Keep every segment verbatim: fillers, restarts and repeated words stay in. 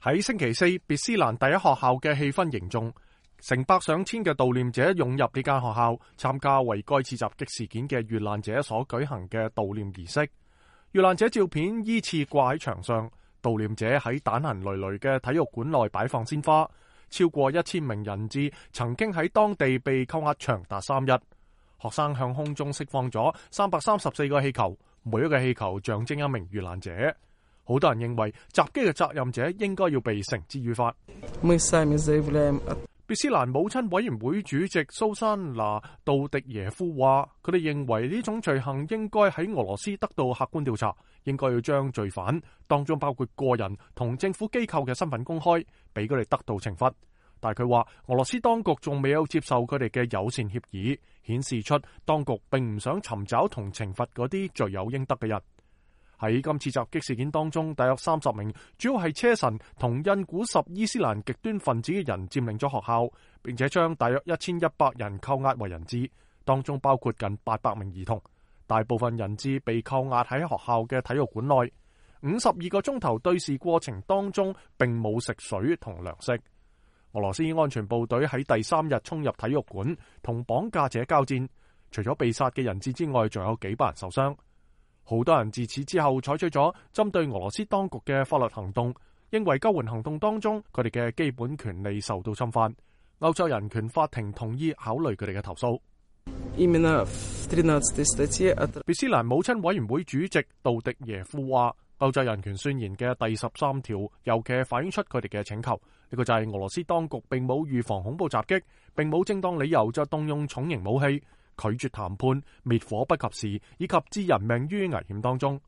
喺星期四，別斯蘭第一學校嘅氣氛凝重，成百上千嘅悼念者湧入呢間學校，參加為該次襲擊事件嘅遇難者所舉行嘅悼念儀式。遇難者照片依次掛喺牆上，悼念者喺彈痕累累嘅體育館內擺放鮮花。超過一千名人質曾經喺當地被扣押長達三日。學生向空中釋放咗三百三十四個氣球，每一個氣球象徵一名遇難者。好多人認為襲擊嘅責任者應該要被繩之於法。別斯蘭母親委員會主席蘇珊娜杜迪耶夫話，佢哋認為呢種罪行應該喺俄羅斯得到客觀調查，應該要將罪犯，當中包括個人同政府機構嘅身份公開，俾佢哋得到懲罰。但係佢話俄羅斯當局仲未有接受佢哋嘅友善協議，顯示出當局並唔想尋找同懲罰嗰啲罪有應得嘅人。喺今次襲擊事件當中，大約三十名主要係車臣同印古什伊斯蘭極端分子嘅人佔領咗學校，並且將大約一千一百人扣押為人質，當中包括近八百名兒童。大部分人質被扣押喺學校嘅體育館內，五十二個鐘頭對峙過程當中並冇食水同糧食。俄羅斯安全部隊喺第三日衝入體育館同綁架者交戰，除咗被殺嘅人質之外，仲有幾百人受傷。好多人自此之後採取咗針對俄羅斯當局嘅法律行動，認為救援行動當中佢哋嘅基本權利受到侵犯。歐洲人權法庭同意考慮佢哋嘅投訴。別斯蘭母親委員會主席杜迪耶夫話，歐洲人權宣言嘅第十三條尤其反映出佢哋嘅請求，呢個就係俄羅斯當局並冇預防恐怖襲擊，並冇正當理由就動用重型武器，拒絕談判、滅火不及時，以及置人命於危險當中。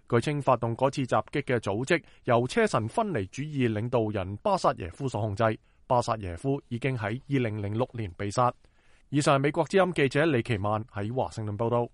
據稱，發動嗰次襲擊嘅組織由車臣分離主義領導人巴薩耶夫所控制。巴薩耶夫已經喺二零零六年被殺。以上係美國之音記者李奇曼喺華盛頓報道。